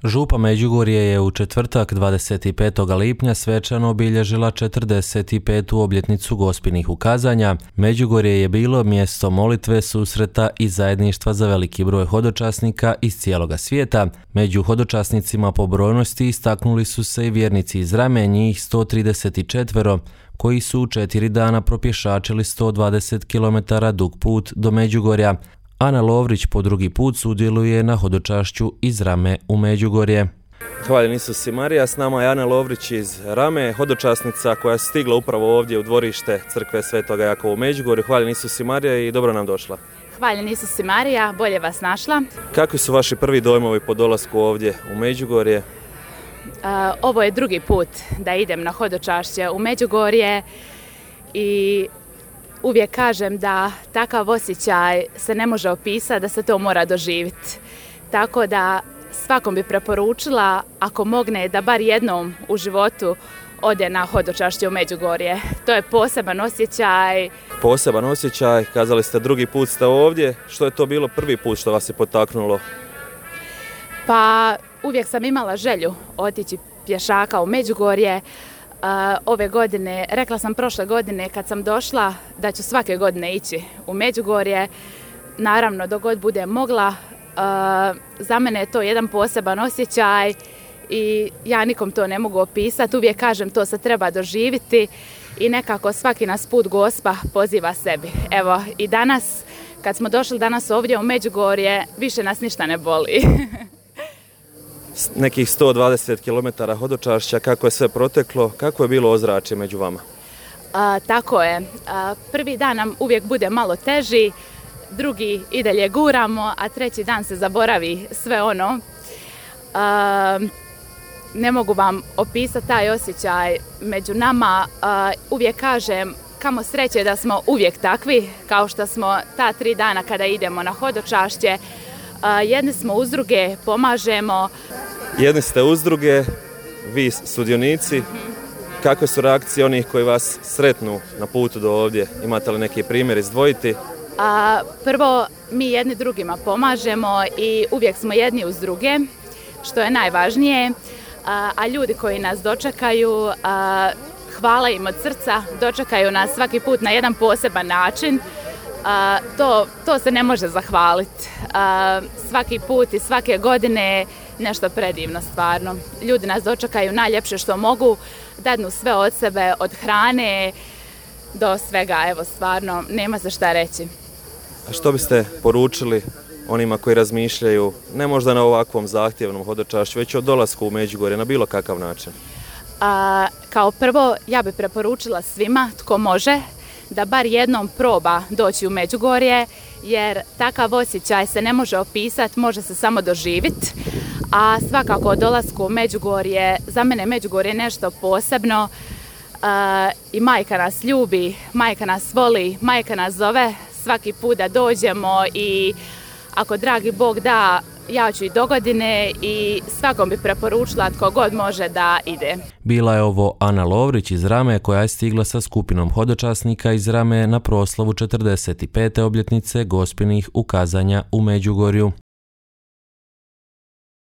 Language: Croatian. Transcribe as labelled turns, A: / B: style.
A: Župa Međugorje je u četvrtak 25. lipnja svečano obilježila 45. obljetnicu Gospinih ukazanja. Međugorje je bilo mjesto molitve, susreta i zajedništva za veliki broj hodočasnika iz cijeloga svijeta. Među hodočasnicima po brojnosti istaknuli su se i vjernici iz Rame, njih 134, koji su u 4 dana propješačili 120 km dug put do Međugorja. Ana Lovrić po drugi put sudjeluje na hodočašću iz Rame u Međugorje.
B: Hvaljen Isus i Marija, s nama je Ana Lovrić iz Rame, hodočasnica koja je stigla upravo ovdje u dvorište crkve Svetoga Jakova u Međugorju. Hvaljen Isus i Marija i dobro nam došla.
C: Hvaljen Isus i Marija, bolje vas našla.
B: Kakvi su vaši prvi dojmovi po dolasku ovdje u Međugorje?
C: Ovo je drugi put da idem na hodočašće u Međugorje i uvijek kažem da takav osjećaj se ne može opisati, da se to mora doživjeti. Tako da svakom bi preporučila, ako mogne, da bar jednom u životu ode na hodočašće u Međugorje. To je poseban osjećaj.
B: Poseban osjećaj, kazali ste drugi put ste ovdje. Što je to bilo prvi put što vas je potaknulo?
C: Pa uvijek sam imala želju otići pješaka u Međugorje. Ove godine, rekla sam prošle godine kad sam došla da ću svake godine ići u Međugorje. Naravno, dok god budem mogla, za mene je to jedan poseban osjećaj i ja nikom to ne mogu opisati. Uvijek kažem, to se treba doživjeti i nekako svaki nas put Gospa poziva sebi. Evo i danas, kad smo došli danas ovdje u Međugorje, više nas ništa ne boli.
B: Nekih 120 km hodočašća, kako je sve proteklo, kako je bilo ozračje među vama?
C: Tako je. Prvi dan nam uvijek bude malo teži, drugi i dalje guramo, a treći dan se zaboravi sve ono. Ne mogu vam opisati taj osjećaj među nama. Uvijek kažem, kamo sreće da smo uvijek takvi, kao što smo ta 3 dana kada idemo na hodočašće. Jedni smo uz druge, pomažemo.
B: Jedni ste uz druge, vi sudionici. Kakve su reakcije onih koji vas sretnu na putu do ovdje? Imate li neki primjer izdvojiti?
C: Prvo, mi jedni drugima pomažemo i uvijek smo jedni uz druge, što je najvažnije. A ljudi koji nas dočekaju, hvala im od srca, dočekaju nas svaki put na jedan poseban način. To se ne može zahvaliti. Svaki put i svake godine nešto predivno stvarno. Ljudi nas dočekaju najljepše što mogu, dadnu sve od sebe, od hrane do svega, evo stvarno, nema se šta reći.
B: A što biste poručili onima koji razmišljaju, ne možda na ovakvom zahtjevnom hodočašću, već o dolasku u Međugorje na bilo kakav način?
C: Kao prvo, ja bih preporučila svima tko može da bar jednom proba doći u Međugorje, jer takav osjećaj se ne može opisati, može se samo doživjeti. A svakako o dolasku u Međugorje, za mene Međugorje je nešto posebno i majka nas ljubi, majka nas voli, majka nas zove svaki put da dođemo i ako dragi Bog da, ja ću i dogodine i svakom bi preporučila tko god može da ide.
A: Bila je ovo Ana Lovrić iz Rame koja je stigla sa skupinom hodočasnika iz Rame na proslavu 45. obljetnice Gospinih ukazanja u Međugorju.